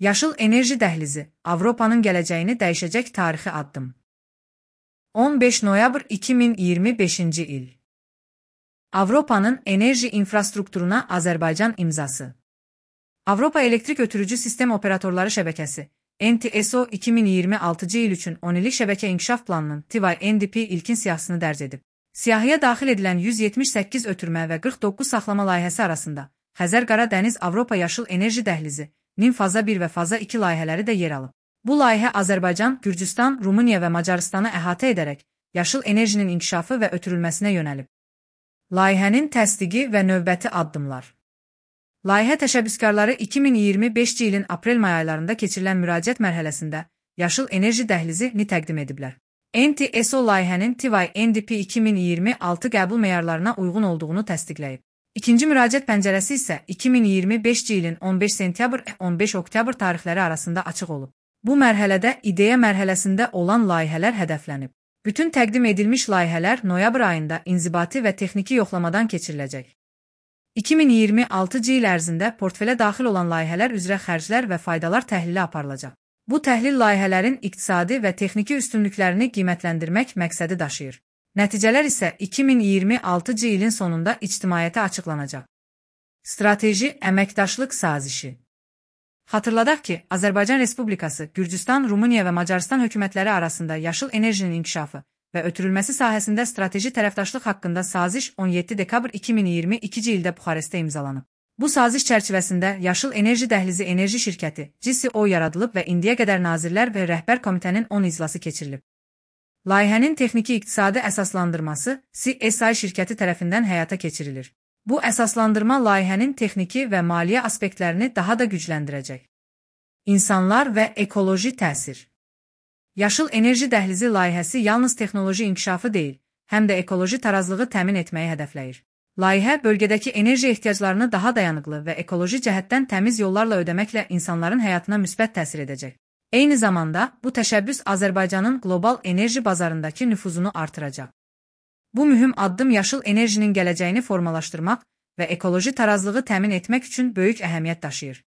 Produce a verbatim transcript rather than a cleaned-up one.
Yaşıl enerji dəhlizi, Avropanın gələcəyini dəyişəcək tarixi addım. on beş noyabr iki min iyirmi beşinci il. Avropanın enerji infrastrukturuna Azərbaycan imzası. Avropa Elektrik Ötürücü Sistem Operatorları Şəbəkəsi, N T S O iki min iyirmi altıncı il üçün on illik şəbəkə inkişaf planının T Y N D P ilkin siyahısını dərc edib. Siyahıya daxil edilən yüz yetmiş səkkiz ötürmə və qırx doqquz saxlama layihəsi arasında Xəzər-Qara Dəniz Avropa Yaşıl Enerji Dəhlizi, NİM Faza bir və Faza iki layihələri də yer alıb. Bu layihə Azərbaycan, Gürcüstan, Rumıniya və Macarıstanı əhatə edərək yaşıl enerjinin inkişafı və ötürülməsinə yönəlib. Layihənin təsdiqi və növbəti addımlar. Layihə təşəbbüskarları iki min iyirmi beşinci ilin aprel-may aylarında keçirilən müraciət mərhələsində yaşıl enerji dəhlizini təqdim ediblər. N T S O layihənin T Y N D P iki min iyirmi altı qəbul meyarlarına uyğun olduğunu təsdiqləyib. İkinci müraciət pəncərəsi isə iki min iyirmi beşinci ilin on beş sentyabr on beş oktyabr tarixləri arasında açıq olub. Bu mərhələdə ideya mərhələsində olan layihələr hədəflənib. Bütün təqdim edilmiş layihələr noyabr ayında inzibati və texniki yoxlamadan keçiriləcək. iki min iyirmi altıncı il ərzində portfelə daxil olan layihələr üzrə xərclər və faydalar təhlili aparılacaq. Bu təhlil layihələrin iqtisadi və texniki üstünlüklərini qiymətləndirmək məqsədi daşıyır. Nəticələr isə iki min iyirmi altıncı ilin sonunda ictimaiyyətə açıqlanacaq. Strateji əməkdaşlıq sazişi. Xatırladaq ki, Azərbaycan Respublikası, Gürcüstan, Rumıniya və Macarıstan hökumətləri arasında yaşıl enerjinin inkişafı və ötürülməsi sahəsində strateji tərəfdaşlıq haqqında saziş on yeddi dekabr iki min iyirmi ikinci ildə Buxarestdə imzalanıb. Bu saziş çərçivəsində Yaşıl Enerji Dəhlizi Enerji Şirkəti, G S O yaradılıb və indiyə qədər Nazirlər və Rəhbər Komitənin on iclası keçirilib. Layihənin texniki iqtisadi əsaslandırması C S I şirkəti tərəfindən həyata keçirilir. Bu əsaslandırma layihənin texniki və maliyyə aspektlərini daha da gücləndirəcək. İnsanlar və ekoloji təsir. Yaşıl Enerji Dəhlizi layihəsi yalnız texnoloji inkişafı deyil, həm də ekoloji tarazlığı təmin etməyi hədəfləyir. Layihə bölgədəki enerji ehtiyaclarını daha dayanıqlı və ekoloji cəhətdən təmiz yollarla ödəməklə insanların həyatına müsbət təsir edəcək. Eyni zamanda, bu təşəbbüs Azərbaycanın qlobal enerji bazarındakı nüfuzunu artıracaq. Bu mühüm addım yaşıl enerjinin gələcəyini formalaşdırmaq və ekoloji tarazlığı təmin etmək üçün böyük əhəmiyyət daşıyır.